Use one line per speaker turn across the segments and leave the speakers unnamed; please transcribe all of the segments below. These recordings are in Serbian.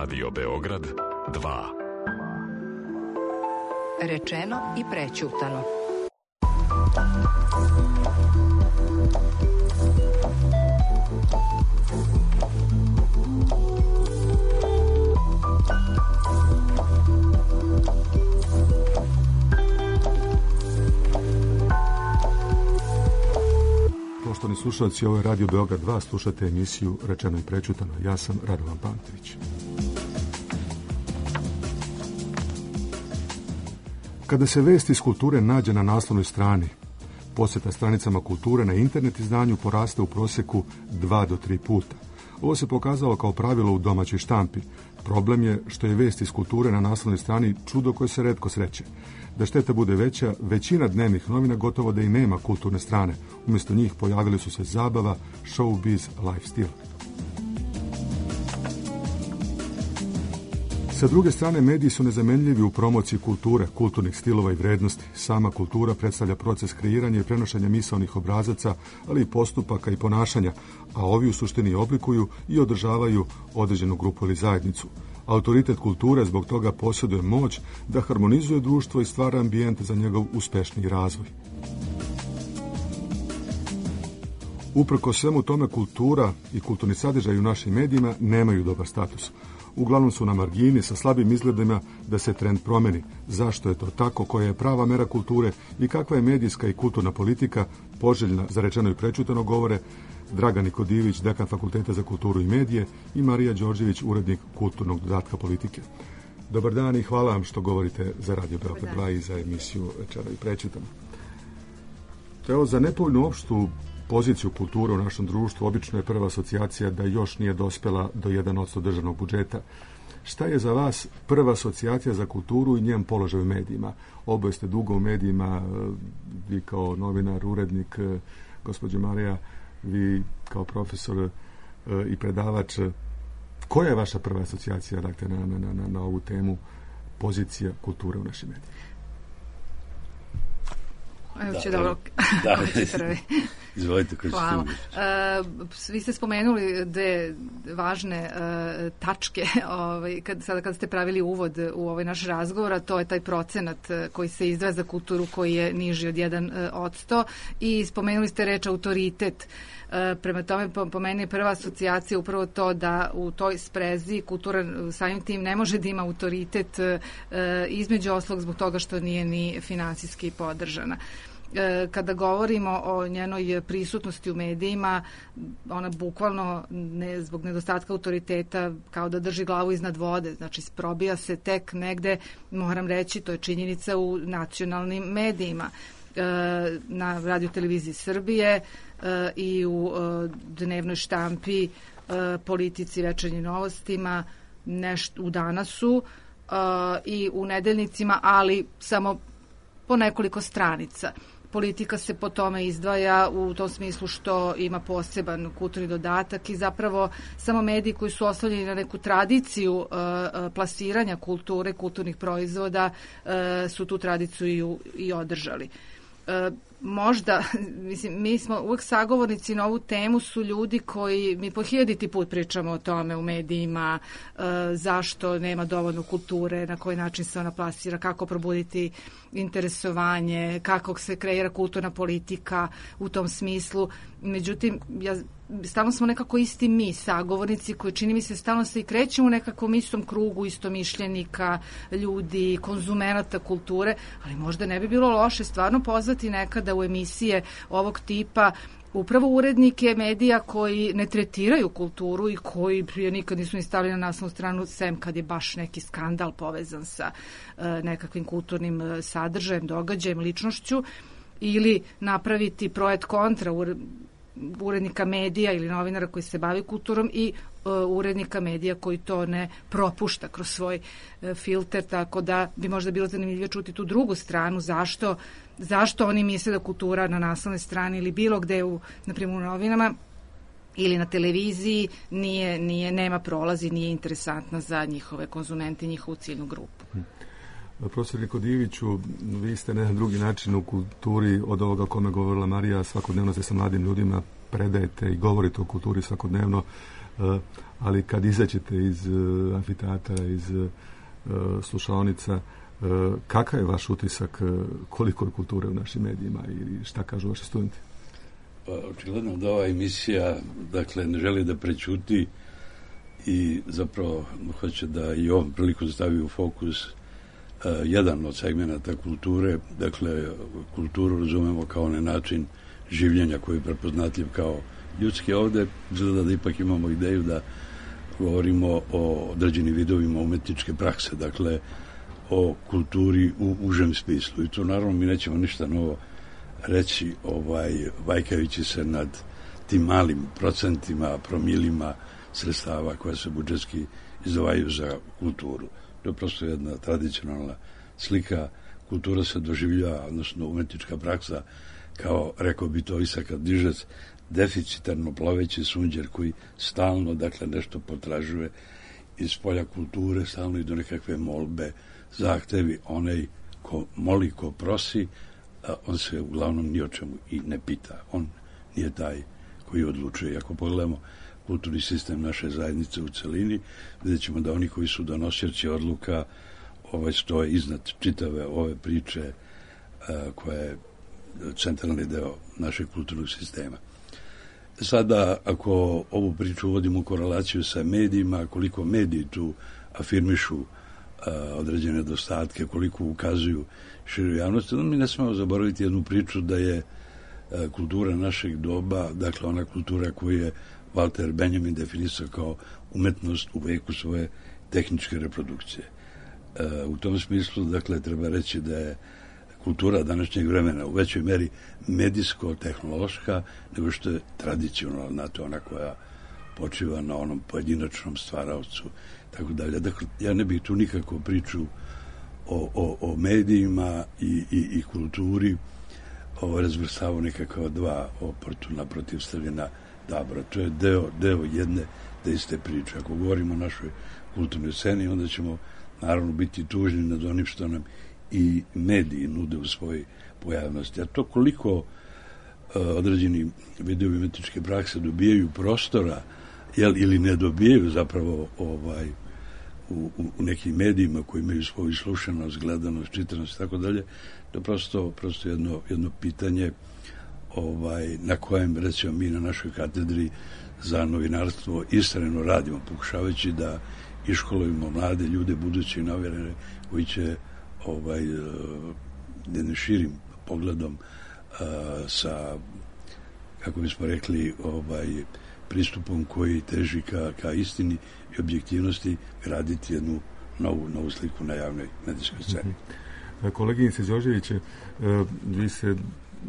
Radio Beograd 2.
Rečeno i prećutano.
Poštovani slušalci, ovo je Radio Beograd 2, slušate emisiju Rečeno i prećutano. Ja sam Radovan Pantović. Kada se vest iz kulture nađe na naslovnoj strani, posjeta stranicama kulture na internet izdanju poraste u prosjeku 2 do 3 puta. Ovo se pokazalo kao pravilo u domaćoj štampi. Problem je što je vest iz kulture na naslovnoj strani čudo koje se retko sreće. Da šteta bude veća, većina dnevnih novina gotovo da i nema kulturne strane. Umjesto njih pojavili su se zabava, showbiz, lifestyle. Sa druge strane, mediji su nezamenljivi u promociji kulture, kulturnih stilova i vrednosti. Sama kultura predstavlja proces kreiranja i prenošenja misaonih obrazaca, ali i postupaka i ponašanja, a ovi u suštini oblikuju i održavaju određenu grupu ili zajednicu. Autoritet kulture zbog toga posjeduje moć da harmonizuje društvo i stvara ambijent za njegov uspešniji razvoj. Uprkos svemu tome, kultura i kulturni sadržaj u našim medijima nemaju dobar status. Uglavnom su na margini sa slabim izgledima da se trend promeni. Zašto je to tako, koja je prava mera kulture i kakva je medijska i kulturna politika poželjna za rečeno i prećutano govore Dragan Nikodivić, dekan Fakulteta za kulturu i medije, i Marija Đorđević, urednik kulturnog dodatka politike. Dobar dan i hvala vam što govorite za Radio Beograd 2 i za emisiju Rečeno i prećutano. Evo, za nepovoljnu opštu poziciju kulture u našem društvu obično je prva asocijacija da još nije dospela do 1% državnog budžeta. Šta je za vas prva asocijacija za kulturu i njen položaj u medijima? Oboje ste dugo u medijima, vi kao novinar, urednik, gospođo Marija, vi kao profesor i predavač. Koja je vaša prva asocijacija, dakle, na ovu temu pozicija kulture u našim medijima?
Evo će dobro.
Izvolite,
hvala. Vi ste spomenuli dve važne tačke kada ste pravili uvod u ovaj naš razgovor, a to je taj procenat koji se izdvaja za kulturu koji je niži od 1% i spomenuli ste reč autoritet. Prema tome, po meni je prva asocijacija upravo to da u toj sprezi kultura samim tim ne može da ima autoritet, između oslog zbog toga što nije ni finansijski podržana. Kada govorimo o njenoj prisutnosti u medijima, ona bukvalno zbog nedostatka autoriteta kao da drži glavu iznad vode, znači probija se tek negde, moram reći, to je činjenica u nacionalnim medijima, na Radio-televiziji Srbije i u dnevnoj štampi, Politici, Večernjim novostima, u Danasu i u nedeljnicima, ali samo po nekoliko stranica. Politika se po tome izdvaja u tom smislu što ima poseban kulturni dodatak i zapravo samo mediji koji su oslovljeni na neku tradiciju plasiranja kulture, kulturnih proizvoda su tu tradiciju i održali. Možda, mislim, mi smo uvek sagovornici na ovu temu, su ljudi koji, mi po 1000 put pričamo o tome u medijima, zašto nema dovoljno kulture, na koji način se ona plasira, kako probuditi interesovanje, kako se kreira kulturna politika u tom smislu. Međutim, stalno smo nekako isti mi, sagovornici, koji čini mi se stalno se i krećemo u nekakvom istom krugu, istomišljenika, ljudi, konzumenata kulture, ali možda ne bi bilo loše stvarno pozvati nekada u emisije ovog tipa upravo urednike medija koji ne tretiraju kulturu i koji prije nikad nisu ni stavili na naslovnu stranu, sem kad je baš neki skandal povezan sa nekakvim kulturnim sadržajem, događajem, ličnošću, ili napraviti projekt kontra urednika medija ili novinara koji se bavi kulturom i urednika medija koji to ne propušta kroz svoj filter, tako da bi možda bilo zanimljivo čuti tu drugu stranu, zašto oni misle da kultura na naslovnoj strani ili bilo gde na primjer u novinama ili na televiziji nema prolazi, nije interesantna za njihove konzumente i njihovu ciljnu grupu.
Profesor Nikodiviću, vi ste na drugi način u kulturi od ovoga o kome govorila Marija, svakodnevno ste sa mladim ljudima, predajete i govorite o kulturi svakodnevno. ali kad izađete iz amfiteatra, iz slušaonica, kakav je vaš utisak, koliko je kulture u našim medijima i šta kažu vaši studenti?
Pa, očigledno da ova emisija, dakle, ne želi da prećuti i zapravo hoće da i ovom priliku stavi u fokus jedan od segmenata kulture. Dakle, kulturu razumemo kao onaj način življenja koji je prepoznatljiv kao ljudski. Ovde izgleda da ipak imamo ideju da govorimo o određenim vidovima umetničke prakse, dakle o kulturi u užem smislu. I to naravno mi nećemo ništa novo reći, vajkajući se nad tim malim procentima, promilima sredstava koja se budžetski izdvajaju za kulturu. To je prosto jedna tradicionalna slika. Kultura se doživljava, odnosno umetnička praksa, kao, rekao bi to Isak Dižec, deficitarno ploveći sunđer koji stalno, dakle, nešto potražuje iz polja kulture, stalno i do nekakve molbe, zahtevi. Onaj ko moli, ko prosi, on se uglavnom ni o čemu i ne pita. On nije taj koji odlučuje. Ako pogledamo kulturni sistem naše zajednice u celini, vidjet ćemo da oni koji su donosioci odluka stoje iznad čitave ove priče koja je centralni deo našeg kulturnog sistema. Sada, ako ovu priču uvodimo u korelaciju sa medijima, koliko mediji tu afirmišu određene nedostatke, koliko ukazuju široj javnosti, mi ne smemo zaboraviti jednu priču da je kultura našeg doba, dakle ona kultura koju je Walter Benjamin definisao kao umetnost u veku svoje tehničke reprodukcije. U tom smislu, dakle, treba reći da je kultura današnjeg vremena u većoj meri medijsko-tehnološka nego što je tradicionalna, to ona koja počiva na onom pojedinačnom stvaraocu, tako dalje. Dakle, ja ne bih tu nikako priču o medijima i kulturi razvrstavao nekakva dva oportuna protivstavljena tabora. To je deo jedne te iste priče. Ako govorimo o našoj kulturnoj sceni, onda ćemo naravno biti tužni nad onim što nam i mediji nude u svojoj pojavnosti. A to koliko određeni vidovi umetničke prakse dobijaju prostora ili ne dobijaju zapravo u nekim medijima koji imaju svoju slušanost, gledanost, čitanost i tako dalje, to je prosto jedno pitanje na kojem, recimo, mi na našoj katedri za novinarstvo istrajno radimo, pokušavajući da iškolujemo mlade ljude, buduće novinare koji će jednim širim pogledom sa, kako bismo rekli, pristupom koji teži ka istini i objektivnosti graditi jednu novu sliku na javnoj medijskoj sceni.
Koleginice Đorđeviće, vi ste,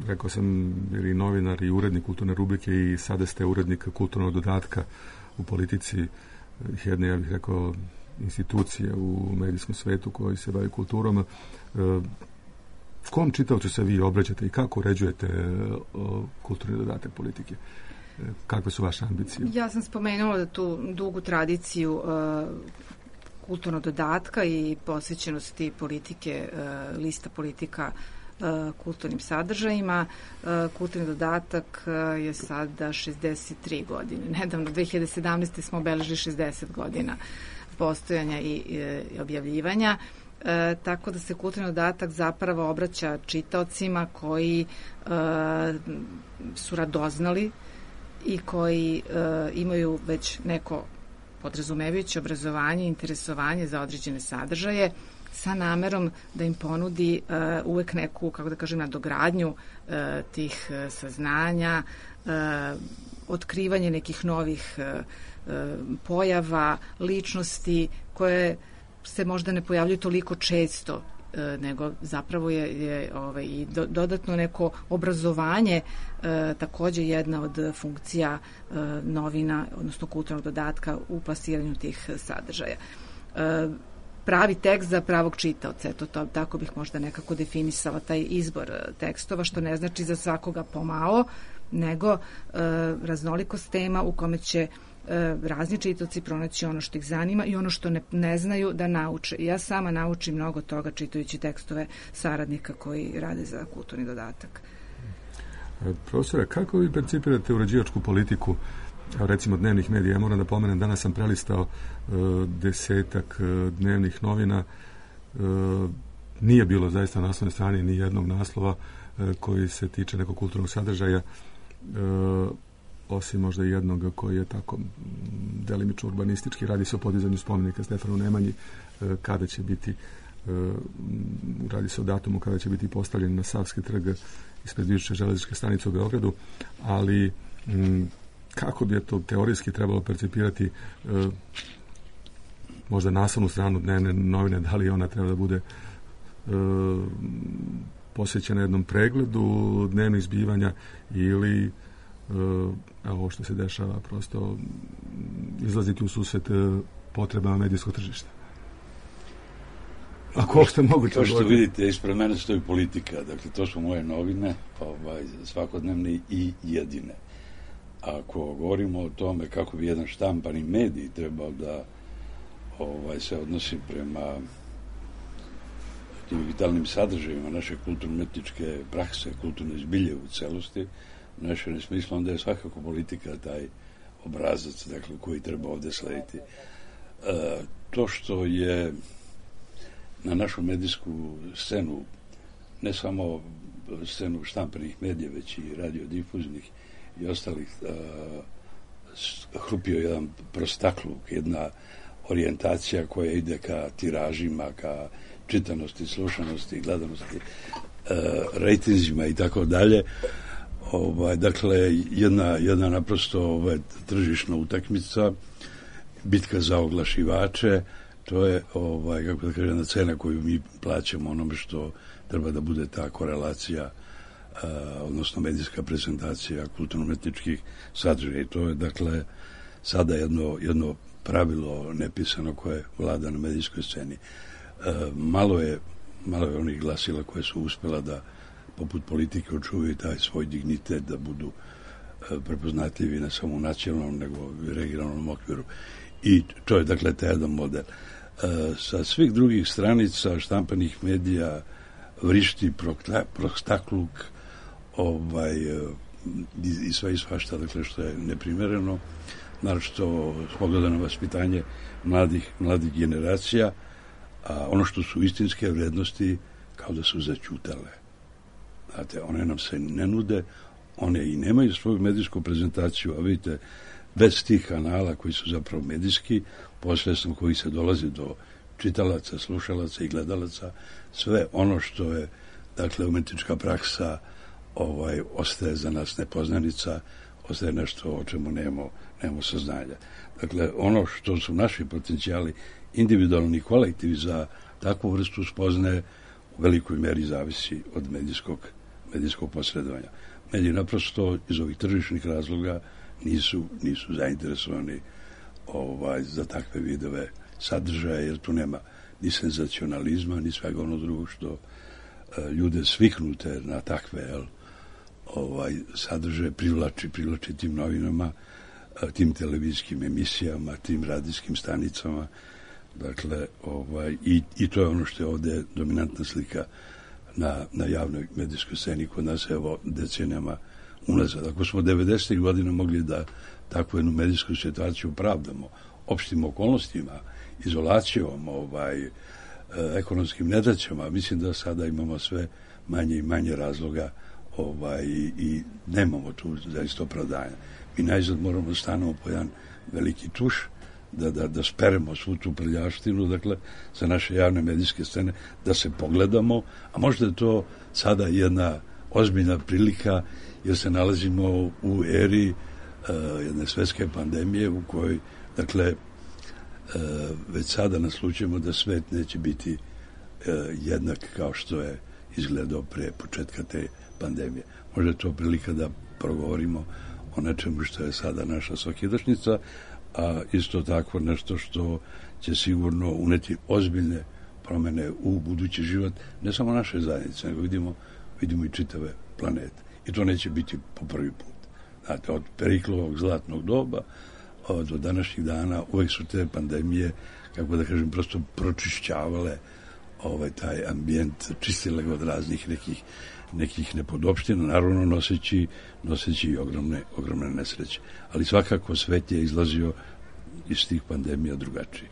rekao sam, bili novinar i urednik kulturne rubrike i sada ste urednik kulturnog dodatka u politici jedne, ja bih rekao, institucije u medijskom svetu koji se bavi kulturom. Kom čitaocu se vi obraćate i kako uređujete kulturni dodatak politike? Kakve su vaše ambicije?
Ja sam spomenula da tu dugu tradiciju kulturnog dodatka i posvećenosti politike, lista politika kulturnim sadržajima. Kulturni dodatak je sada 63 godine. Nedavno, 2017. smo obeležili 60 godina postojanja i objavljivanja. Tako da se kulturni dodatak zapravo obraća čitaocima koji su radoznali i koji imaju već neko podrazumevajuće obrazovanje i interesovanje za određene sadržaje, sa namerom da im ponudi uvek neku, kako da kažem, nadogradnju tih saznanja, otkrivanje nekih novih pojava, ličnosti koje se možda ne pojavljuju toliko često, nego zapravo je i dodatno neko obrazovanje takođe jedna od funkcija novina, odnosno kulturnog dodatka u plasiranju tih sadržaja. Pravi tekst za pravog čitaoca, eto, tako bih možda nekako definisala taj izbor tekstova, što ne znači za svakoga pomalo, nego raznolikost tema u kome će razni čitaoci pronaći ono što ih zanima i ono što ne znaju da nauče. Ja sama naučim mnogo toga čitajući tekstove saradnika koji rade za kulturni dodatak.
Profesore, kako vi percipirate uređivačku politiku recimo dnevnih medija. Ja moram da pomenem, danas sam prelistao 10 dnevnih novina. Nije bilo zaista na naslovnoj strani ni jednog naslova koji se tiče nekog kulturnog sadržaja, osim možda jednog koji je tako delimično urbanistički. Radi se o podizanju spomenika Stefanu Nemanji, kada će biti, radi se o datumu kada će biti postavljen na Savski trg ispred bivše železničke stanice u Beogradu, ali kako bi je to teorijski trebalo percipirati, možda naslovnu stranu dnevne novine, da li ona treba da bude posvećena jednom pregledu dnevnih zbivanja ili ovo što se dešava, prosto izlaziti u susret potrebama medijskog tržišta. Ako uopšte moguće.
Kao što vidite, ispred mene stoji politika. Dakle, to su moje novine, svakodnevne i jedine. Ako govorimo o tome kako bi jedan štampani medij trebao da se odnosi prema tim vitalnim sadržajima naše kulturno-umetničke prakse, kulturne zbilje u celosti, u našem smislu, onda je svakako politika taj obrazac, dakle, koji treba ovde slediti. To što je na našu medijsku scenu, ne samo scenu štampanih medija, već i radiodifuznih i ostalih, hrupio jedan prostakluk, jedna orijentacija koja ide ka tiražima, ka čitanosti, slušanosti, gledanosti, rejtinzima i tako dalje. Dakle, jedna naprosto tržišna utakmica, bitka za oglašivače, to je, kako da kažem, cena koju mi plaćamo onome što treba da bude ta korelacija, odnosno medijska prezentacija kulturno-umetničkih sadržaja. I to je, dakle, sada jedno pravilo nepisano koje vlada na medijskoj sceni. Malo je onih glasila koje su uspela da, poput politike, očuvaju taj svoj dignitet, da budu prepoznatljivi ne samo u nacionalnom, nego i regionalnom okviru. I to je, dakle, taj jedan model. Sa svih drugih stranica štampanih medija vrišti prostakluk i sve i svašta, dakle, što je neprimereno, naročito s pogleda na vaspitanje mladih generacija, a ono što su istinske vrednosti kao da su zaćutale. Znate, one nam se ne nude, one i nemaju svoju medijsku prezentaciju, a vidite, bez tih kanala koji su zapravo medijski, posredstvom koji se dolazi do čitalaca, slušalaca i gledalaca, sve ono što je, dakle, umetnička praksa ostaje za nas nepoznanica, ostaje nešto o čemu nemamo saznanja. Dakle, ono što su naši potencijali individualni i kolektivi za takvu vrstu spoznaje u velikoj meri zavisi od medijskog posredovanja. Mediji naprosto iz ovih tržišnih razloga nisu zainteresovani za takve vidove sadržaja, jer tu nema ni senzacionalizma, ni svega ono drugo što ljude sviknute na takve sadržaje privlači tim novinama, tim televizijskim emisijama, tim radijskim stanicama. Dakle, i to je ono što je ovde dominantna slika na javnoj medijskoj sceni kod nas, evo, decenijama unazad. Ako smo 90. godina mogli da takvu jednu medijsku situaciju pravdamo opštim okolnostima, izolacijom, ekonomskim nedaćama, mislim da sada imamo sve manje i manje razloga i nemamo tu zaista opravdanja. Mi najzad moramo da stanemo po jedan veliki tuš, da speremo svu tu prljaštinu, dakle, sa naše javne medijske scene, da se pogledamo, a možda je to sada jedna ozbiljna prilika, jer se nalazimo u eri jedne svetske pandemije u kojoj, dakle, već sada naslućujemo da svet neće biti jednak kao što je izgledao pre početka te pandemije. Možda je to prilika da progovorimo o nečemu što je sada naša svakidašnjica, a isto tako nešto što će sigurno uneti ozbiljne promene u budući život, ne samo naše zajednice, nego vidimo i čitave planete. I to neće biti po prvi put. Znate, od Periklovog zlatnog doba do današnjih dana uvek su te pandemije, kako da kažem, prosto pročišćavale taj ambijent čistile ga od raznih nekih nepodopština, naravno noseći i ogromne nesreće. Ali svakako svet je izlazio iz tih pandemija drugačiji.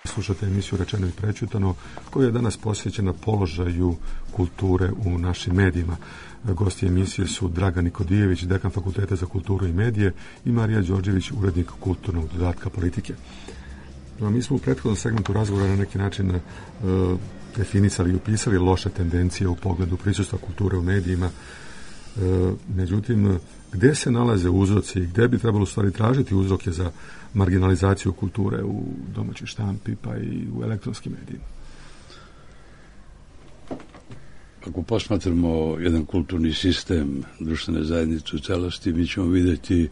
Slušate emisiju Rečeno i prečutano, koja je danas posvećena položaju kulture u našim medijima. Gosti emisije su Dragan Nikodijević, dekan Fakulteta za kulturu i medije, i Marija Đorđević, urednik kulturnog dodatka Politike. Mi smo u prethodnom segmentu razgovora na neki način definisali i upisali loše tendencije u pogledu prisustva kulture u medijima. Međutim, gde se nalaze uzroci i gde bi trebalo u stvari tražiti uzroke za marginalizaciju kulture u domaćoj štampi pa i u elektronskim medijima?
Ako posmatramo jedan kulturni sistem društvene zajednice u celosti, mi ćemo vidjeti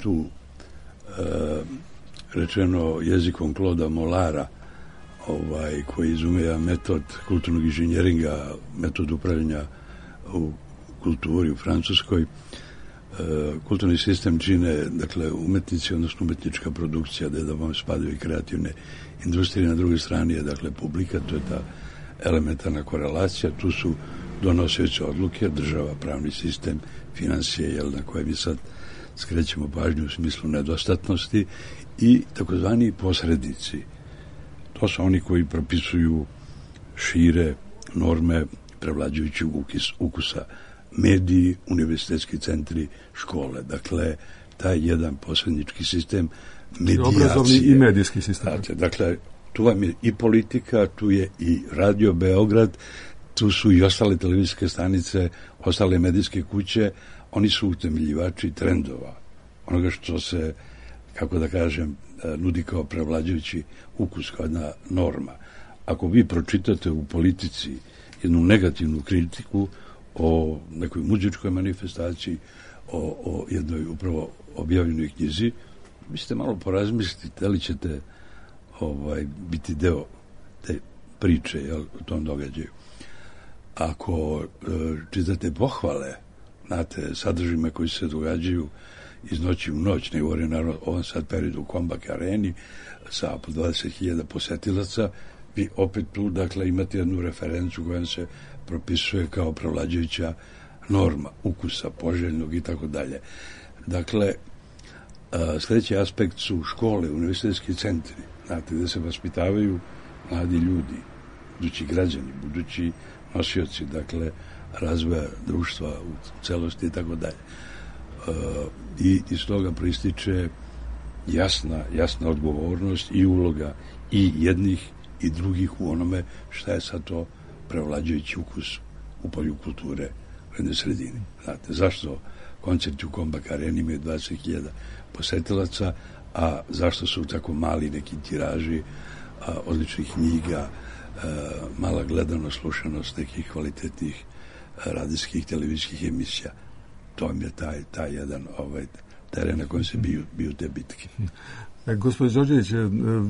tu rečeno jezikom Claude'a Mollara, koji izumija metod kulturnog inženjeringa, metod upravljanja u kulturi u Francuskoj. Kulturni sistem čine, dakle, umetnici, odnosno umetnička produkcija, da vam spadaju i kreativne industrije. Na drugoj strani je, dakle, publika, to je ta elementarna korelacija. Tu su donoseći odluke, država, pravni sistem, financije, na koje mi sad skrećemo pažnju u smislu nedostatnosti, i takozvani posrednici. To su oni koji propisuju, šire norme prevlađujućeg ukusa, mediji, univerzitetski centri, škole. Dakle, taj jedan posrednički sistem medijacije.
Obrazovni i medijski sistem.
Dakle, tu vam je i politika, tu je i Radio Beograd, tu su i ostale televizijske stanice, ostale medijske kuće, oni su utemeljivači trendova, onoga što se, kako da kažem, nudi kao prevlađujući ukus, kao jedna norma. Ako vi pročitate u politici jednu negativnu kritiku o nekoj muzičkoj manifestaciji, o jednoj upravo objavljenoj knjizi, vi ćete malo porazmisliti da li ćete biti deo te priče, o tom događaju. Ako čitate pohvale, znate, sadržajima koji se događaju iz noći u noć, ne govorim naravno o ovom sad periodu u Kombak areni sa po 20.000 posetilaca, vi opet tu, dakle, imate jednu referencu koja se propisuje kao prevlađujuća norma ukusa, poželjnog i tako dalje. Dakle, sljedeći aspekt su škole, univerzitetski centri, znate, gde se vaspitavaju mladi ljudi, budući građani, budući nosioci, dakle, razvoja društva u celosti i tako dalje. I iz toga proističe jasna odgovornost i uloga i jednih i drugih u onome šta je sad to prevlađujući ukus u polju kulture u jednoj sredini. Znate, zašto koncerti u Kombak areni imaju 20.000 posetilaca, a zašto su tako mali neki tiraži odličnih knjiga, mala gledanost, slušanost nekih kvalitetnih radijskih, televizijskih emisija. To vam je taj jedan teren na kojem se biju te bitke.
Gospodin Đorđević,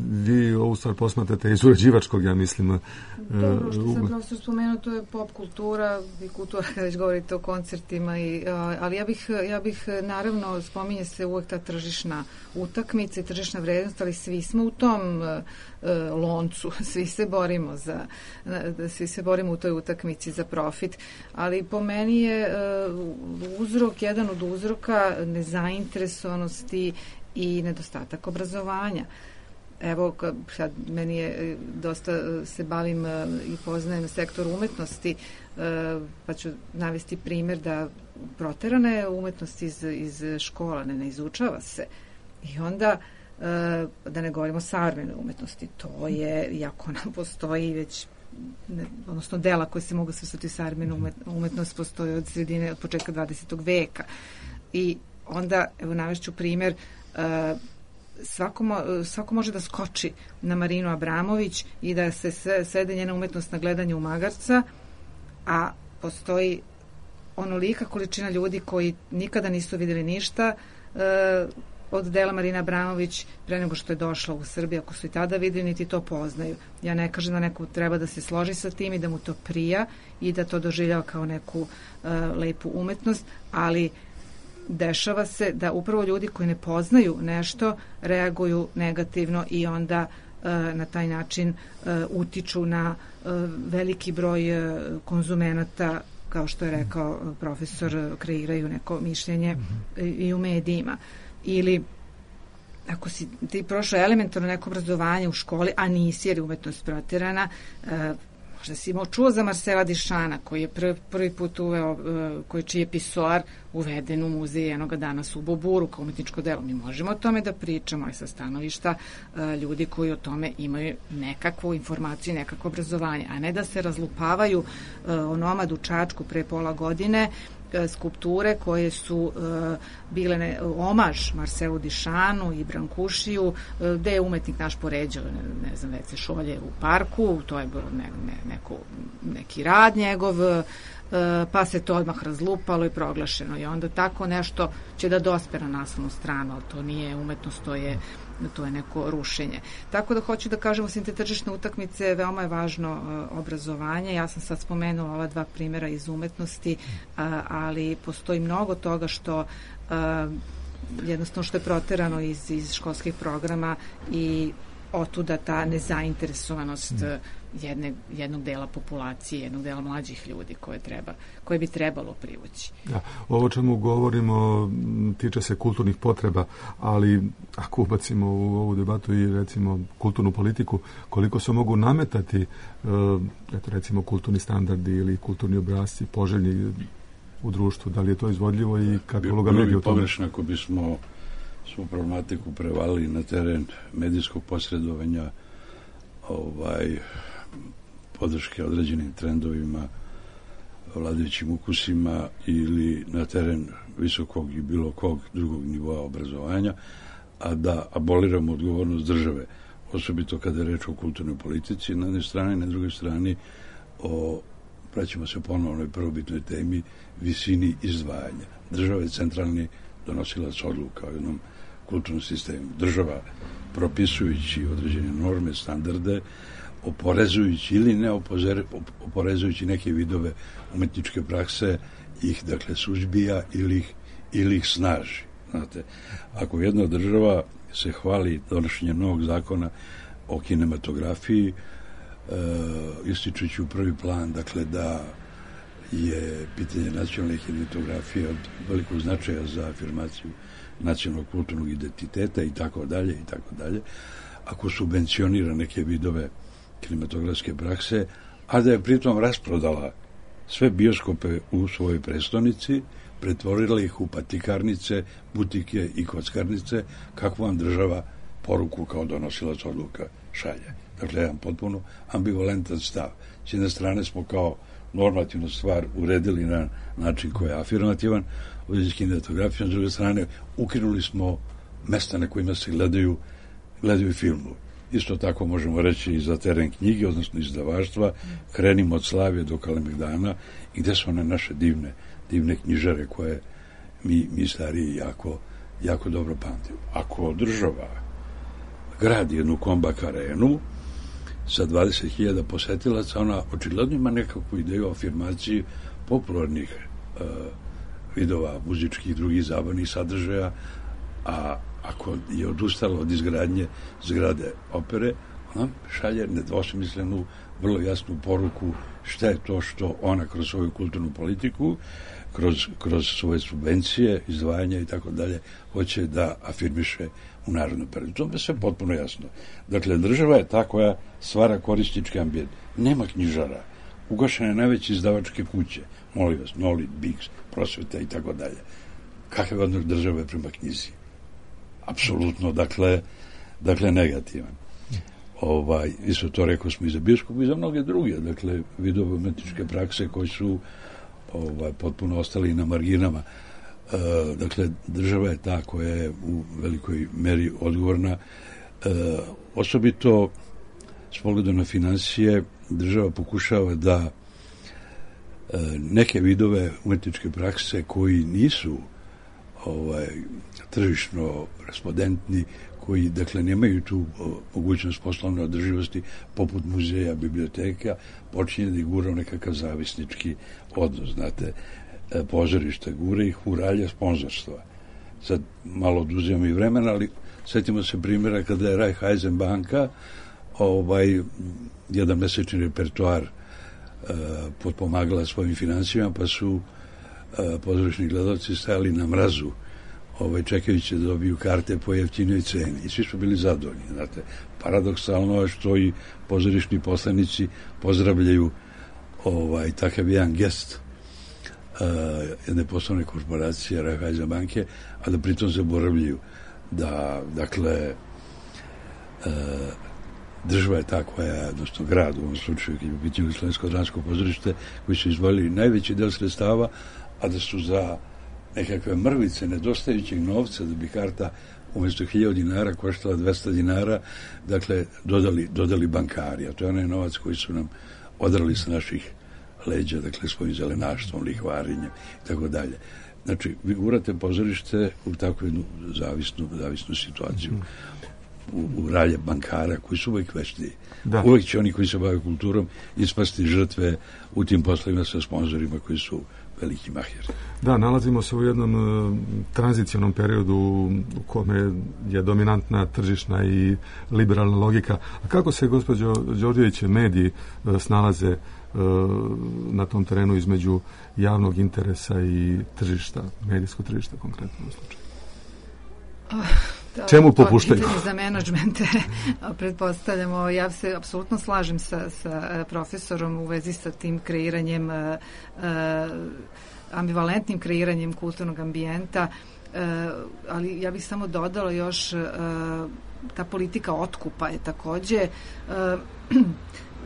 vi ovu stvar posmatrate iz uređivačkog, ja mislim.
Dobro, što sam profesor spomenuo, to je pop kultura i kultura kada već govorite o koncertima, ali ja bih naravno, spominje se uvek ta tržišna utakmica i tržišna vrednost, ali svi smo u tom loncu, svi se borimo u toj utakmici za profit, ali po meni je jedan od uzroka nezainteresovanosti i nedostatak obrazovanja. Evo, sad meni je dosta se bavim i poznajem sektor umetnosti, pa ću navesti primjer da proterana je umetnost iz škola, ne izučava se. I onda, da ne govorimo o savremenoj umetnosti, to je, iako nam postoji već, odnosno dela koje se mogu svrstati u savremenu umetnost, postoji od početka 20. veka. I onda, evo, navešću primjer, svako može da skoči na Marinu Abramović i da se svede njena umetnost na gledanje u magarca, a postoji onolika količina ljudi koji nikada nisu vidjeli ništa od dela Marina Abramović pre nego što je došla u Srbiju, ako su i tada vidjeli, niti to poznaju. Ja ne kažem da neko treba da se složi sa tim i da mu to prija i da to doživljava kao neku lepu umetnost, ali dešava se da upravo ljudi koji ne poznaju nešto reaguju negativno i onda na taj način utiču na veliki broj konzumenata, kao što je rekao profesor, kreiraju neko mišljenje i u medijima. Ili ako si ti prošao elementarno neko obrazovanje u školi, a nisi jer je umetnost proterana, možda si imao čuo za Marcela Dišana, koji je prvi put uveo, čiji je pisoar uveden u muzej jednoga danas u Boburu kao umetničko delo. Mi možemo o tome da pričamo, ali sa stanovišta ljudi koji o tome imaju nekakvu informaciju, nekakvo obrazovanje, a ne da se razlupavaju onomad u Čačku pre pola godine, skulpture koje su bile omaž Marcelu Dišanu i Brankušiju, gde je umetnik naš poređao, ne znam, Vece Šolje u parku, to je bilo neki rad njegov, pa se to odmah razlupalo i proglašeno i onda tako nešto će da dospe na naslovnu stranu, ali to nije umetnost, to je neko rušenje. Tako da hoću da kažem, osim te tržišne utakmice, veoma je važno obrazovanje. Ja sam sad spomenula ova dva primjera iz umetnosti, ali postoji mnogo toga što jednostavno što je proterano iz školskih programa i otuda ta nezainteresovanost jednog dela populacije, jednog dela mlađih ljudi koje bi trebalo privući.
Da, ovo čemu govorimo tiče se kulturnih potreba, ali ako ubacimo u ovu debatu i recimo kulturnu politiku, koliko se mogu nametati recimo kulturni standardi ili kulturni obrasci poželjni u društvu, da li je to izvodljivo i kakva je uloga medija u tome?
Pogrešno ako bismo svu problematiku prevalili na teren medijskog posredovanja, podrške određenim trendovima, vladajućim ukusima ili na teren visokog i bilo kog drugog nivoa obrazovanja, a da aboliramo odgovornost države, osobito kada je reč o kulturnoj politici, na jednoj strani, na drugoj strani vraćamo se ponovno i prvobitnoj temi visini izdvajanja. Država je centralni donosilac odluka o jednom kulturnom sistemu. Država, propisujući određene norme, standarde, oporezujući ili ne oporezujući neke vidove umetničke prakse, ih dakle suzbija ili ih snaži. Znate, ako jedna država se hvali donošenjem novog zakona o kinematografiji, ističući u prvi plan, dakle, da je pitanje nacionalne kinematografije od velikog značaja za afirmaciju nacionalnog kulturnog identiteta i tako dalje, ako subvencionira neke vidove kinematografske prakse, a da je pritom rasprodala sve bioskope u svojoj prestonici, pretvorila ih u patikarnice, butike i kockarnice, kakvu vam država poruku kao donosilac odluka šalje. Dakle, jedan potpuno ambivalentan stav. S jedne strane smo kao normativnu stvar uredili na način koji je afirmativan u vezi s kinematografijom, s druge strane ukinuli smo mesta na kojima se gledaju filmu. Isto tako možemo reći i za teren knjige, odnosno izdavaštva, krenimo od Slavije do Kalemegdana i gde su one naše divne knjižare koje mi stariji jako dobro pamtimo. Ako država gradi jednu Kombak arenu sa 20.000 posetilaca, ona očigledno ima nekakvu ideju o afirmaciji popularnih vidova muzičkih i drugih zabavnih sadržaja, a ako je odustala od izgradnje zgrade opere, ona šalje nedvosmislenu, vrlo jasnu poruku šta je to što ona kroz svoju kulturnu politiku, kroz svoje subvencije, izdvajanja i tako dalje, hoće da afirmiše u narodnom periodu. To je sve potpuno jasno. Dakle, država je ta koja stvara korisnički ambijent. Nema knjižara. Ugašene najveće izdavačke kuće. Molim vas, Nolit, Biks, Prosveta i tako dalje. Kakav je odnos države prema knjizi? Apsolutno, dakle negativan. Isto to rekao smo i za bioskop i za mnoge druge, dakle, vidove umetničke prakse koji su potpuno ostali na marginama. Dakle, država je ta koja je u velikoj meri odgovorna. Osobito s pogledom na financije, država pokušava da neke vidove umetničke prakse koji nisu tržišno respondentni, koji, dakle, nemaju tu mogućnost poslovne održivosti, poput muzeja, biblioteka, počinje da ih gura u nekakav zavisnički odnos, znate, pozorišta, gura ih u ralje sponzorstva. Sad malo oduzimamo i vremena, ali setimo se primjera kada je Raiffeisen banka jedan mesečni repertoar potpomagala svojim financijama, pa su pozorišni gledalci stajali na mrazu čekajući da dobiju karte po jeftinoj ceni. I svi su bili zadovoljni. Znate, paradoksalno je što i pozorišni poslanici pozdravljaju takav jedan gest jedne poslovne korporacije Raiffeisen banke, a da pritom zaboravljaju da, dakle, država je ta koja, odnosno grad u ovom slučaju, kad je u pitanju Slovensko-dramsko pozorište, koji su izdvojili najveći del sredstava, a da su za nekakve mrvice nedostajućeg novca da bi karta umjesto 1000 dinara koštala 200 dinara, dakle, dodali bankari, a to je onaj novac koji su nam odrali sa naših leđa, dakle, svojim zelenaštvom, lihvarenjem i tako dalje. Znači, vi gurate pozorište u takvu jednu zavisnu situaciju. U ralje bankara koji su uvijek vešti. Uvijek će oni koji se bave kulturom ispasti žrtve u tim poslovima sa sponzorima koji su veliki mahir.
Da, nalazimo se u jednom tranzicionom periodu u kome je dominantna tržišna i liberalna logika. A kako se, gospođo Đorđević, mediji snalaze na tom terenu između javnog interesa i tržišta, medijskog tržišta konkretno u slučaju? Čemu popuštaju?
To je pitanje za menadžmente, pretpostavljamo. Ja se apsolutno slažem sa profesorom u vezi sa tim kreiranjem, ambivalentnim kreiranjem kulturnog ambijenta, ali ja bih samo dodala još ta politika otkupa je takođe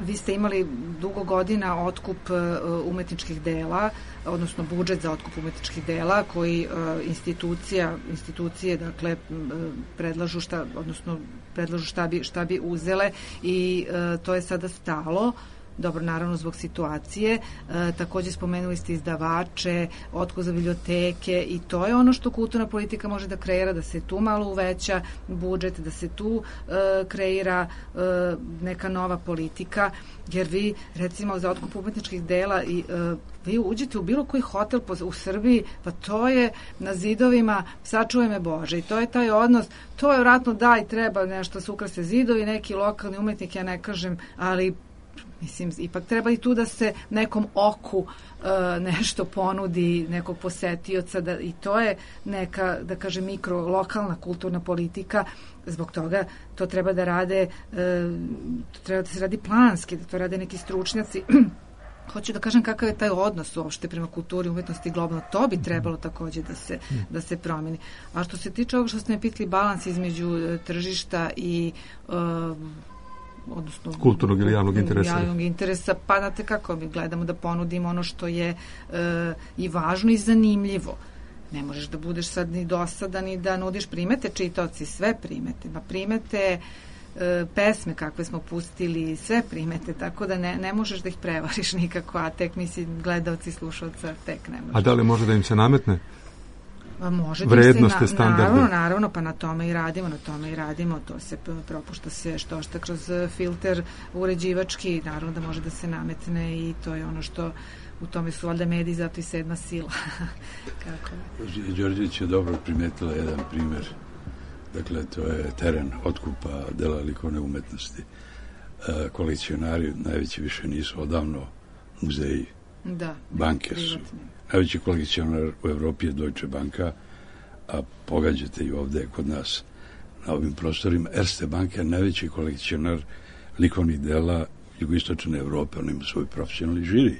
vi ste imali dugo godina otkup umetničkih dela, odnosno budžet za otkup umetničkih dela koji institucije dakle predlažu šta bi uzele i to je sada stalo. Dobro, naravno zbog situacije. Takođe spomenuli ste izdavače, otkup za biblioteke i to je ono što kulturna politika može da kreira, da se tu malo uveća budžet, da se tu kreira neka nova politika, jer vi recimo za otkup umetničkih dela i vi uđete u bilo koji hotel u Srbiji, pa to je na zidovima sačuvaj me Bože i to je taj odnos, to je vratno da i treba nešto se ukrase zidovi, neki lokalni umetnik, ja ne kažem, ali mislim, ipak treba i tu da se nekom oku nešto ponudi, nekog posetioca i to je neka, da kažem, lokalna kulturna politika. Zbog toga to treba da rade, treba da se radi planski, da to rade neki stručnjaci. Hoću da kažem kakav je taj odnos uopšte prema kulturi, umetnosti globalno. To bi trebalo takođe da se promeni. A što se tiče ovog što ste me pitali, balans između tržišta i odnosno
kulturnog ili javnog
interesa, pa znate kako mi gledamo da ponudimo ono što je i važno i zanimljivo. Ne možeš da budeš sad ni dosadan i da nudiš primete čitaoci, sve primete, primete pesme kakve smo pustili, sve primete, tako da ne možeš da ih prevariš nikako, a tek gledalci, slušalca, tek ne možeš.
A da li može da im se nametne?
Može
vrednosti, standarde.
Naravno, pa na tome i radimo, to se propušta se što kroz filter uređivački, naravno da može da se nametne i to je ono što u tome su valjda mediji, zato i 7. sila.
Đorđević je dobro primetila jedan primer, dakle to je teren otkupa dela likovne umetnosti. Kolekcionari najveći više nisu odavno muzeji, banke su. Najveći kolekcionar u Evropi je Deutsche Banka, a pogađate i ovde kod nas na ovim prostorima. Erste Banka je najveći kolekcionar likovnih dela jugoistočne Evrope, on ima svoj profesionalni žiri.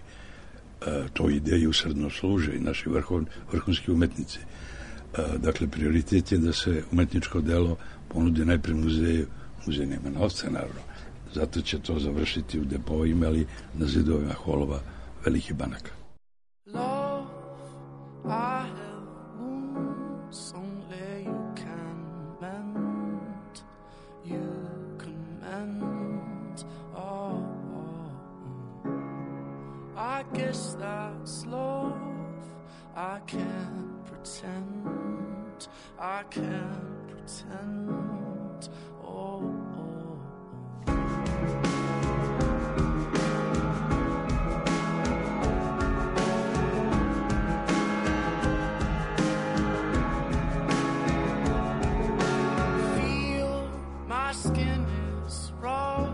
To ide i usredno služe i naši vrhunski umetnici. Dakle, prioritet je da se umetničko delo ponudi najpre muzeju. Muzej nema novca, naravno. Zato će to završiti u depovima, ali na zidovima holova velikih banaka.
I have wounds only you can mend. You can mend. Oh. I guess that's love. I can't pretend. I can't pretend. Oh. Skin is rough,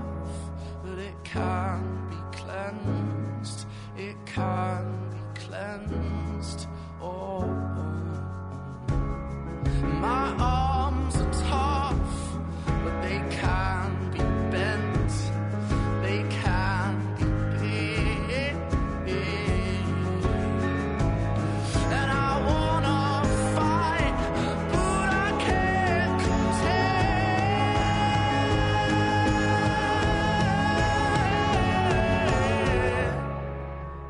but it can be cleansed. It can be cleansed. Oh. My arms are tough, but they can be bent. They can be bent. And I wanna fight, but I can't contend.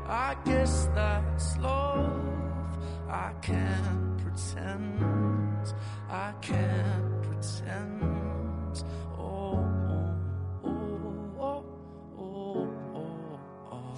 I guess that's love. I can't pretend. I can't pretend. Oh, oh, oh, oh, oh, oh.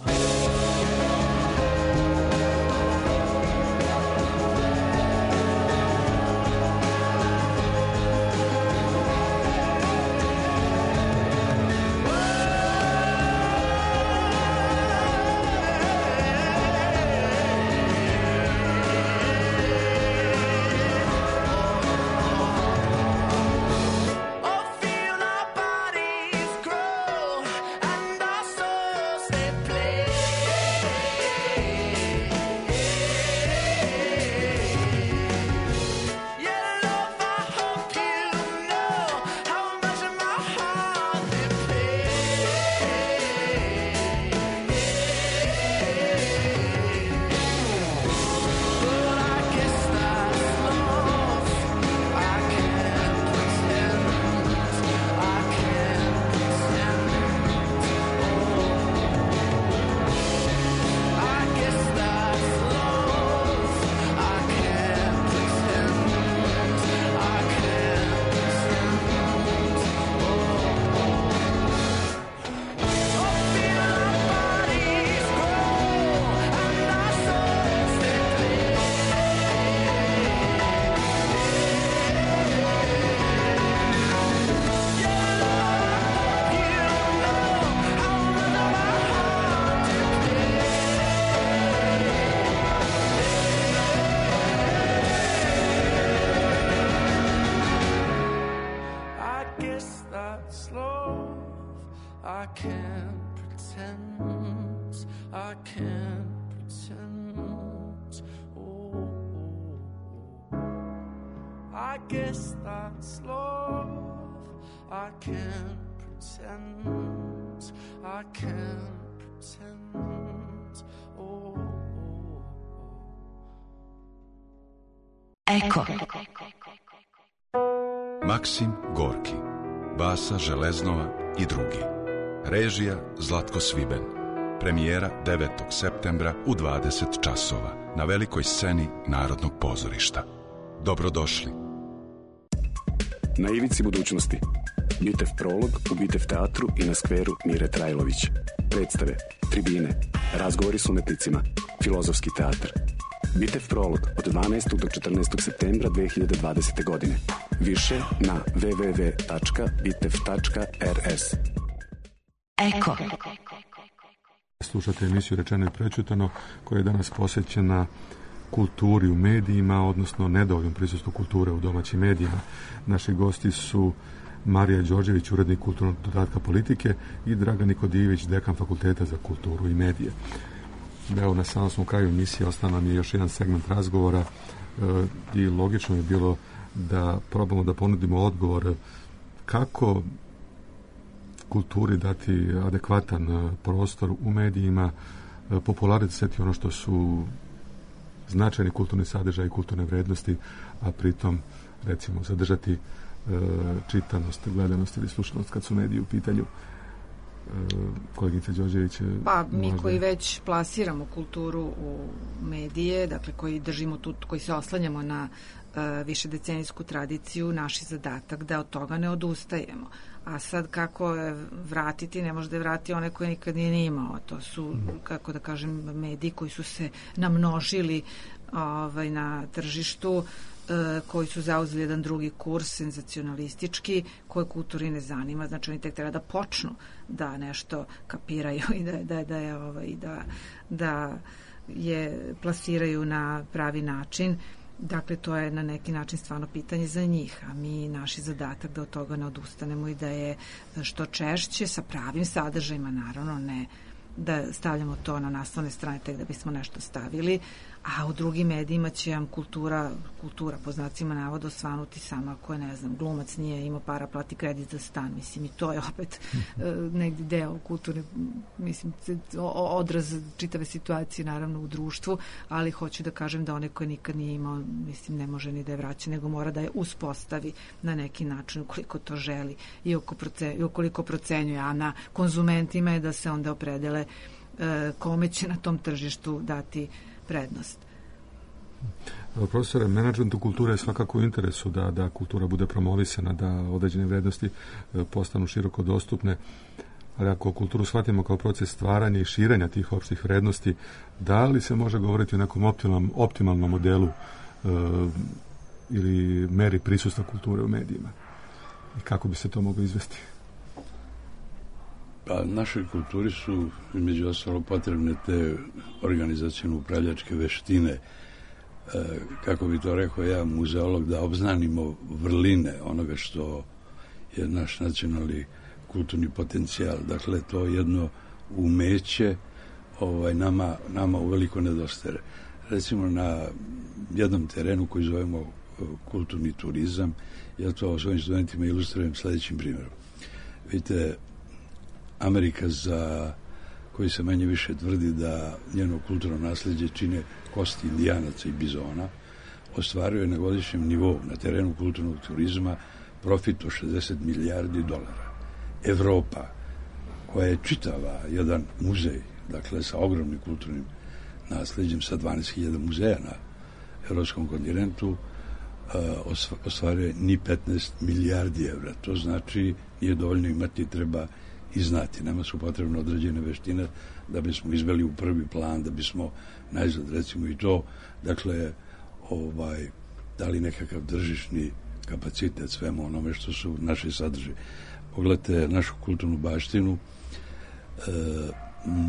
that's love. I can't pretend, I can't pretend. Oh, I guess that's love. I can't pretend, I can't pretend. Oh,
Eko.
Maksim Gorki, Basa Železnova i drugi. Režija Zlatko Sviben. Premijera 9. septembra u 20 časova na velikoj sceni Narodnog pozorišta. Dobrodošli.
Na ivici budućnosti. Bitev prolog u Bitev teatru i na skveru Mire Trajlović. Predstave, tribine, razgovori s umetnicima, filozofski teatr. Bitev prolog od 12. do 14. septembra 2020. godine. Više na www.bitev.rs.
Eko.
Slušate emisiju Rečeno i prečutano koja je danas posvećena kulturi u medijima, odnosno nedovoljnom prisustvu kulture u domaćim medijima. Naši gosti su Marija Đorđević, urednik kulturnog dodatka Politike, i Dragan Nikodijević, dekan Fakulteta za kulturu i medije. Evo, na samom smo kraju emisije, ostao nam je još jedan segment razgovora i logično je bilo da probamo da ponudimo odgovor kako kulturi dati adekvatan prostor u medijima, popularizovati ono što su značajni kulturni sadržaj i kulturne vrednosti, a pritom recimo zadržati čitanost, gledanost ili slušanost kad su mediji u pitanju. Kolegica Đorđević,
pa mi koji već plasiramo kulturu u medije, dakle koji držimo tu, koji se oslanjamo na višedecenijsku tradiciju, naš je zadatak da od toga ne odustajemo. A sad kako vratiti, ne može da je vrati one koje nikad nije imao. To su, kako da kažem, mediji koji su se namnožili na tržištu, koji su zauzeli jedan drugi kurs, senzacionalistički, koje kulturi ne zanima. Znači oni tek treba da počnu da nešto kapiraju i da je plasiraju na pravi način. Dakle, to je na neki način stvarno pitanje za njih, a mi naš je zadatak da od toga ne odustanemo i da je što češće sa pravim sadržajima, naravno ne da stavljamo to na naslovne strane tek da bismo nešto stavili, a u drugim medijima će vam kultura po znacima navoda osvanuti sama ako je, ne znam, glumac nije imao para, plati kredit za stan, mislim, i to je opet negdje deo kulturne, mislim, odraz čitave situacije naravno u društvu, ali hoću da kažem da one koje nikad nije imao, mislim, ne može ni da je vraća, nego mora da je uspostavi na neki način ukoliko to želi i ukoliko procenjuje, a na konzumentima je da se onda opredele kome će na tom tržištu dati prednost.
Profesore, menadžmentu kulture je svakako u interesu da kultura bude promovisana, da određene vrednosti postanu široko dostupne, ali ako kulturu shvatimo kao proces stvaranja i širenja tih opštih vrednosti, da li se može govoriti o nekom optimalnom modelu ili meri prisustva kulture u medijima? I kako bi se to moglo izvesti?
Pa našoj kulturi su između ostalo potrebne te organizacione upravljačke veštine, kako bi to rekao ja, muzeolog, da obznanimo vrline onoga što je naš nacionalni kulturni potencijal. Dakle, to jedno umeće nama uveliko nedostaje. Recimo na jednom terenu koji zovemo kulturni turizam, ja to svojim studentima ilustrujem sledećim primjerom. Vidite, Amerika, za koji se manje više tvrdi da njeno kulturno nasljeđe čine kosti indijanaca i bizona, ostvaruje na godišnjem nivou na terenu kulturnog turizma profit od $60 milijardi. Evropa, koja je čitava jedan muzej, dakle sa ogromnim kulturnim nasljeđem, sa 12.000 muzeja na evropskom kontinentu, ostvaruje ni 15 milijardi evra. To znači nije dovoljno imati, treba i znati. Nama su potrebne određene veštine da bismo izveli u prvi plan, da bismo najzad, recimo i to, dakle, dali nekakav tržišni kapacitet svemu onome što su naše sadržaje. Pogledajte našu kulturnu baštinu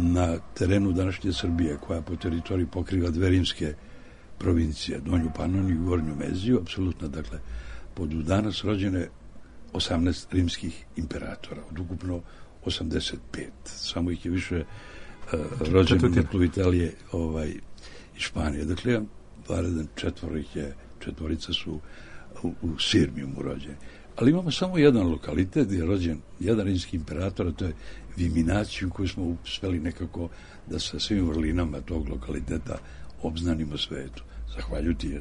na terenu današnje Srbije, koja po teritoriji pokriva dve rimske provincije, Donju Panoniju i Gornju Meziju, apsolutno, dakle, pod danas rođene 18 rimskih imperatora, od ukupno 85. Samo ih je više rođeno na tlu Italije i Španije. Dakle, jedan varedan četvorica su u Sirmijumu rođeni. Ali imamo samo jedan lokalitet gdje je rođen jedan rimski imperator, a to je Viminaciju, koju smo uspeli nekako da sa svim vrlinama tog lokaliteta obznanimo svetu. Zahvaljujući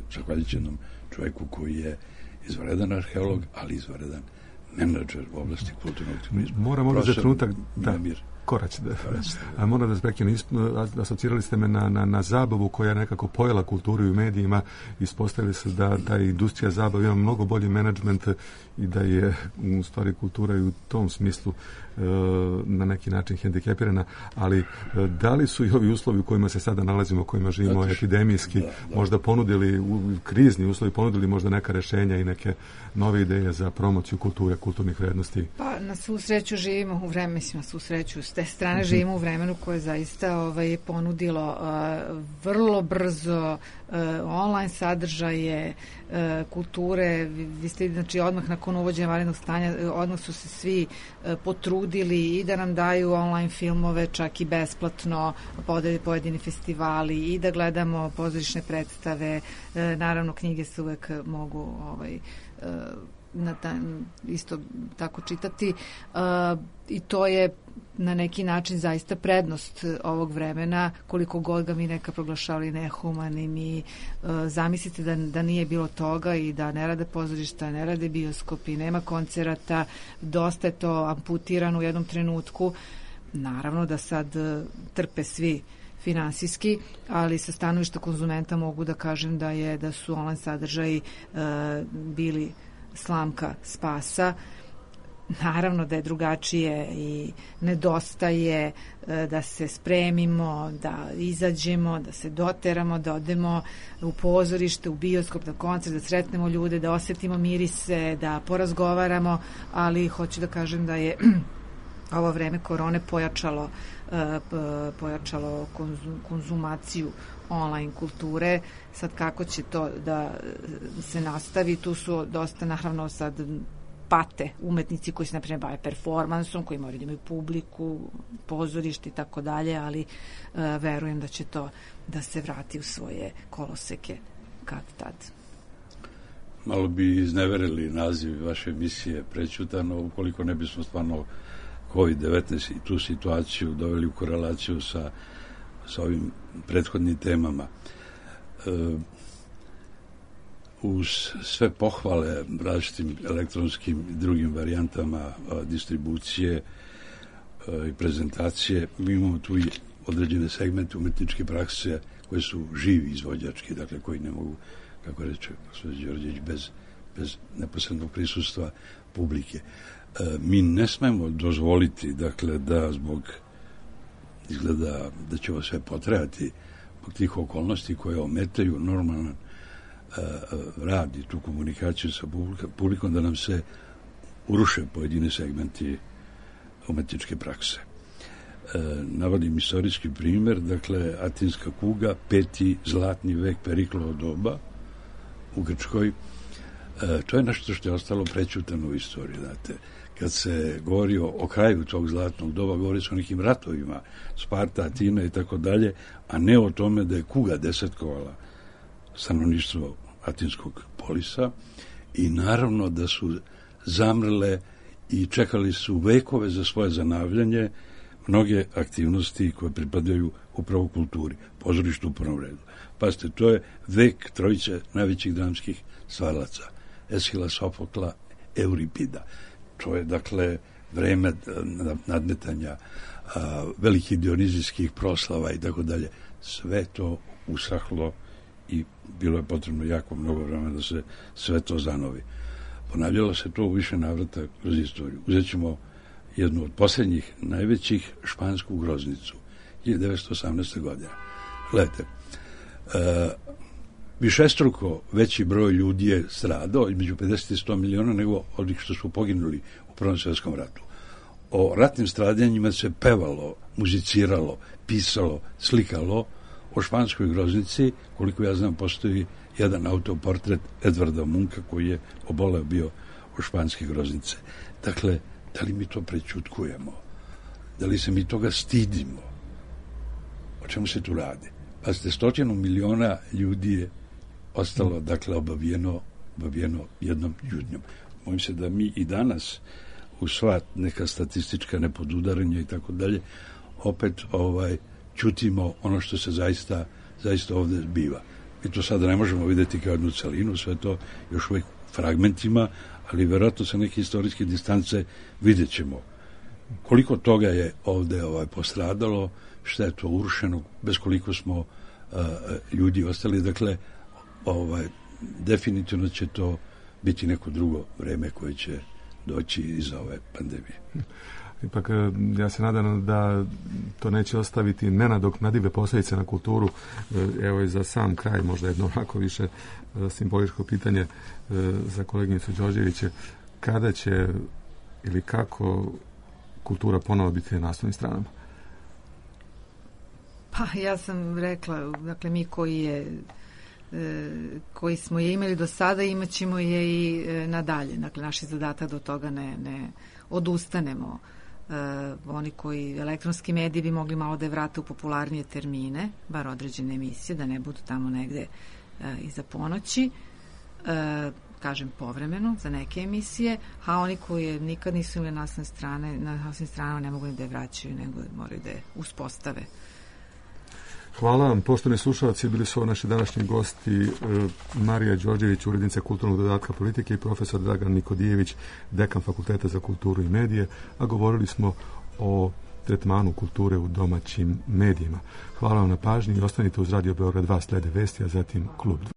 jednom čovjeku koji je izvanredan arheolog, ali izvanredan menadžer u oblasti kulturnog turizma.
Moram ovdje za trenutak da korać. A moram da zbreknem, asocirali ste me na zabavu koja je nekako pojela kulturu i u medijima. Ispostavili se da ta industrija zabave ima mnogo bolji menadžment i da je u stvari kultura i u tom smislu na neki način hendikepirana, ali da li su i ovi uslovi u kojima se sada nalazimo, u kojima živimo epidemijski, možda ponudili, krizni uslovi ponudili možda neka rešenja i neke nove ideje za promociju kulture, kulturnih vrednosti? Pa
na svu sreću živimo u vremenu, na svu sreću, s te strane živimo u vremenu koje zaista ponudilo vrlo brzo online sadržaje, kulture. Vi ste, znači, odmah nakon uvođenja vanrednog stanja, odmah su se svi potrudili i da nam daju online filmove, čak i besplatno, pojedini festivali, i da gledamo pozorišne predstave. Naravno, knjige se uvek mogu isto tako čitati, i to je na neki način zaista prednost ovog vremena, koliko god ga mi neka proglašavali nehumanim. I zamislite da nije bilo toga i da ne rade pozorišta, ne rade bioskopi, nema koncerata, dosta je to amputirano u jednom trenutku. Naravno da sad trpe svi finansijski, ali sa stanovišta konzumenta mogu da kažem da su online sadržaji bili slamka spasa. Naravno da je drugačije i nedostaje da se spremimo, da izađemo, da se doteramo, da odemo u pozorište, u bioskop, na koncert, da sretnemo ljude, da osetimo mirise, da porazgovaramo, ali hoću da kažem da je ovo vreme korone pojačalo konzumaciju online kulture. Sad kako će to da se nastavi, tu su dosta, naravno, sad pate umetnici koji se, na primjer, bave performansom, koji moraju da imaju publiku, pozorište i tako dalje, ali verujem da će to da se vrati u svoje koloseke kad tad.
Malo bi izneverili naziv vaše emisije Prećutano, ukoliko ne bismo stvarno COVID-19 i tu situaciju doveli u korelaciju sa ovim prethodnim temama. Uz sve pohvale različitim elektronskim i drugim varijantama distribucije i prezentacije, mi imamo tu i određene segmente umetničke prakse koje su živi izvođački, dakle koji ne mogu, kako reče gospodin Đorđević, bez neposrednog prisustva publike. Mi ne smemo dozvoliti, dakle, da zbog izgleda da će ovo sve potrajati zbog tih okolnosti koje ometaju normalan rad i tu komunikaciju sa publikom, da nam se uruše pojedini segmenti umetničke prakse. Navodim istorijski primjer, dakle, Atinska kuga, 5. zlatni vek Periklovo doba u Grčkoj. To je nešto što je ostalo prećutano u istoriji, znate. Kad se govori o kraju tog zlatnog doba, govori se o nekim ratovima, Sparta, Atina i tako dalje, a ne o tome da je kuga desetkovala stanovništvo Atinskog polisa, i naravno da su zamrle i čekali su vekove za svoje zanavljanje mnoge aktivnosti koje pripadaju upravo kulturi, pozorištu u prvom redu. Pazite, to je vek trojice najvećih dramskih stvaraca, Eshila, Sofokla, Euripida. To je, dakle, vreme nadmetanja, velikih dionizijskih proslava i tako dalje. Sve to usahlo i bilo je potrebno jako mnogo vremena da se sve to zanovi. Ponavljalo se to u više navrata kroz istoriju. Uzet ćemo jednu od posljednjih najvećih, špansku groznicu, 1918. godine. Gledajte, višestruko veći broj ljudi je stradao, između 50 i 100 miliona, nego onih što su poginuli u Prvom svjetskom ratu. O ratnim stradanjima se pevalo, muziciralo, pisalo, slikalo. O španskoj groznici, koliko ja znam, postoji jedan autoportret Edvarda Munka, koji je oboleo bio u španske groznice. Dakle, da li mi to prećutkujemo? Da li se mi toga stidimo? O čemu se tu radi? Pazite, 100 miliona ljudi je ostalo, dakle, obavijeno jednom ljudnjom. Bojim se da mi i danas u sva neka statistička nepodudaranja i tako dalje, opet čutimo ono što se zaista ovde zbiva. Mi to sada ne možemo videti kao jednu celinu, sve to još uvijek fragmentima, ali verovatno sa neke istorijske distance vidjet ćemo koliko toga je ovde postradalo, šta je to urušeno, bez koliko smo ljudi ostali. Dakle, definitivno će to biti neko drugo vreme koje će doći iz ove pandemije.
Ipak, ja se nadam da to neće ostaviti nenadoknadive posljedice na kulturu. Evo i za sam kraj, možda jedno onako više simboličko pitanje za koleginicu Đorđević, kada će ili kako kultura ponovo biti na naslovnim stranama?
Pa, ja sam rekla, dakle, mi koji smo je imali do sada, imat ćemo je i nadalje. Dakle, naš je zadatak do toga ne odustanemo. Oni koji elektronski mediji bi mogli malo da je vrate u popularnije termine, bar određene emisije, da ne budu tamo negde iza ponoći, kažem povremeno za neke emisije, a oni koji nikad nisu imali naslovne strane, na naslovnim stranama ne mogu ni da je vraćaju, nego moraju da je uspostave.
Hvala vam, poštovani slušalci, bili su naši današnji gosti Marija Đorđević, urednica kulturnog dodatka politike, i profesor Dragan Nikodijević, dekan Fakulteta za kulturu i medije, a govorili smo o tretmanu kulture u domaćim medijima. Hvala vam na pažnji i ostanite uz Radio Beograd 2, slede vesti, a zatim Klub 2.